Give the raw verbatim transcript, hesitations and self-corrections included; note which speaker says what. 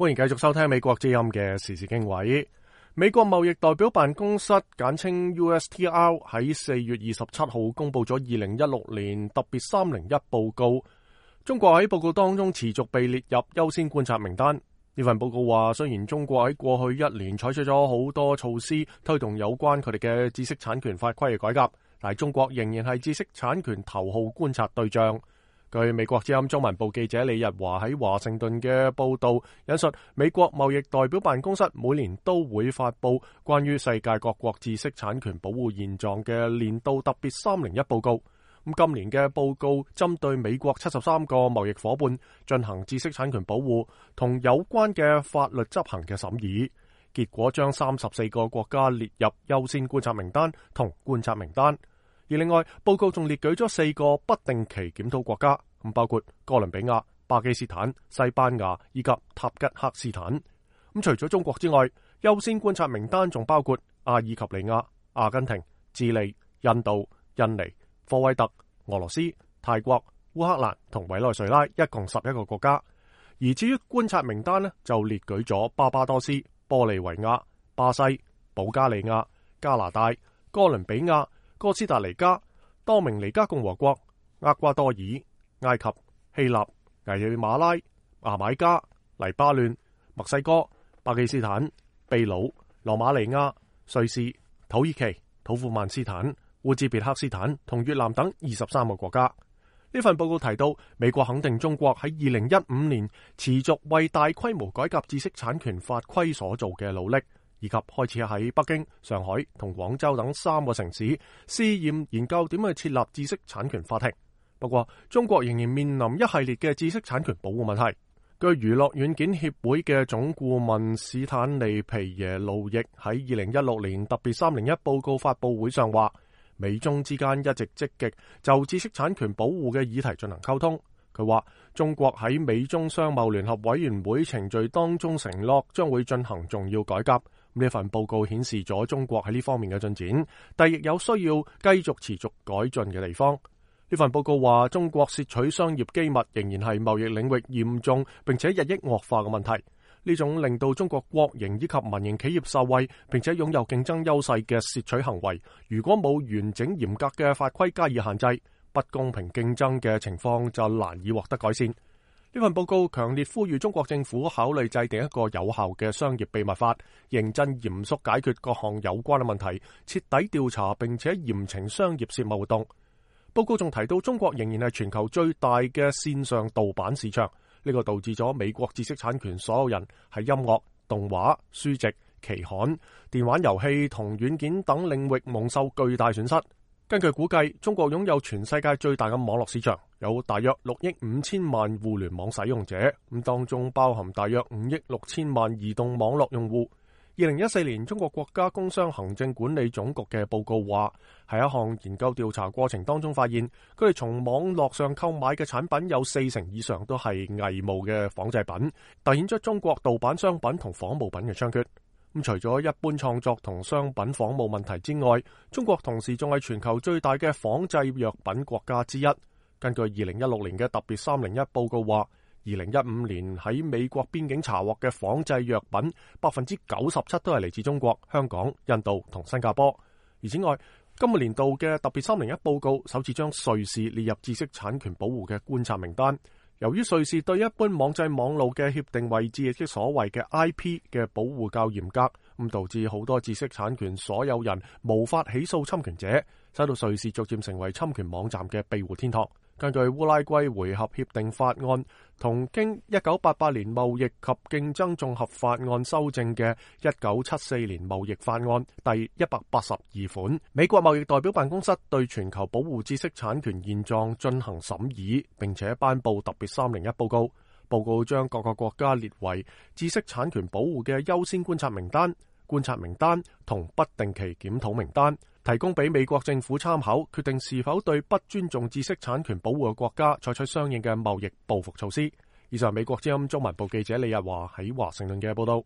Speaker 1: 歡迎繼續收聽美國之音嘅時事經緯。美國貿易代表辦公室簡稱 U S T R 喺四月二十七號公布咗二零一六年特別三零一報告。中國喺報告當中持續被列入優先觀察名單。呢份報告話，雖然中國喺過去一年採取咗好多措施推動有關佢哋嘅知識產權法規嘅改革，但係中國仍然係知識產權頭號觀察對象。據美國之音中文部記者李日華喺華盛頓嘅報道引述，美國貿易代表辦公室每年都會發布關於世界各國知識產權保護現狀嘅年度特別三零一報告。咁今年嘅報告針對美國七十三個貿易夥伴進行知識產權保護同有關嘅法律執行嘅審議，結果將三十四個國家列入優先觀察名單同觀察名單。而另外，報告仲列舉咗四個不定期檢討國家，咁包括哥倫比亞、巴基斯坦、西班牙以及塔吉克斯坦。咁除咗中國之外，優先觀察名單仲包括阿爾及利亞、阿根廷、智利、印度、印尼、科威特、俄羅斯、泰國、烏克蘭同委內瑞拉，一共十一個國家。而至於觀察名單呢，就列舉咗巴巴多斯、玻利維亞、巴西、保加利亞、加拿大、哥倫比亞、哥斯達黎加、多明尼加共和國、厄瓜多爾、埃及、希臘、危地馬拉、牙買加、黎巴嫩、墨西哥、巴基斯坦、秘魯、羅馬尼亞、瑞士、土耳其、土庫曼斯坦、烏茲別克斯坦同越南等二十三個國家。呢份報告提到，美國肯定中國喺二零一五年持續為大規模改革知識產權法規所做嘅努力，以及開始喺北京、上海同廣州等三個城市試驗研究點去設立知識產權法庭。不過，中國仍然面臨一系列嘅知識產權保護問題。據娛樂軟件協會嘅總顧問史坦利皮耶路易喺二零一六年特別三零一報告發佈會上話，美中之間一直積極就知識產權保護嘅議題進行溝通。佢話中國喺美中商貿聯合委員會程序當中承諾將會進行重要改革。呢份報告顯示咗中國喺呢方面嘅進展，但亦有需要繼續持續改進嘅地方。呢份報告話，中國竊取商業機密仍然係貿易領域嚴重並且日益惡化嘅問題。呢種令到中國國營以及民營企業受惠並且擁有競爭優勢嘅竊取行為，如果冇完整嚴格嘅法規加以限制，不公平競爭嘅情況就難以獲得改善。呢份報告強烈呼籲中國政府考慮制定一個有效嘅商業秘密法，認真嚴肅解決各項有關嘅問題，徹底調查並且嚴懲商業竊密活動。報告仲提到，中國仍然係全球最大嘅線上盜版市場，呢個導致咗美國知識產權所有人喺音樂、動畫、書籍、期刊、電玩遊戲同軟件等領域蒙受巨大損失。根據估計，中國擁有全世界最大嘅網絡市場，有大約六億五千萬互聯網使用者，咁當中包含大約五億六千萬移動網絡用戶。二零一四年，中國國家工商行政管理總局嘅報告話，喺一項研究調查過程當中發現，佢哋從網絡上購買嘅產品有四成以上都係偽冒嘅仿製品，凸顯出中國盜版商品同仿冒品嘅猖獗。咁除咗一般創作同商品仿冒問題之外，中國同時仲係全球最大嘅仿製藥品國家之一。根據二零一六年嘅特別三零一報告話，二零一五年喺美國邊境查獲嘅仿製藥品，百分之九十七都係嚟自中國、香港、印度同新加坡。而此外，今個年度嘅特別三零一報告首次將瑞士列入知識產權保護嘅觀察名單。由於瑞士對一般網際網路嘅協定位置，亦即所謂嘅 I P 嘅保護較嚴格，咁導致好多知識產權所有人無法起訴侵權者，使到瑞士逐漸成為侵權網站嘅庇護天堂。根據烏拉圭回合協定法案同經一九八八年貿易及競爭綜合法案修正嘅一九七四年貿易法案第一百八十二款，美國貿易代表辦公室對全球保護知識產權現狀進行審議，並且頒布特別三零一報告。報告將各個國家列為知識產權保護嘅優先觀察名單、觀察名單同不定期檢討名單，提供俾美國政府參考，決定是否對不尊重知識產權保護嘅國家採取相應嘅貿易報復措施。以上美國之音中文部記者李日華喺華盛頓嘅報道。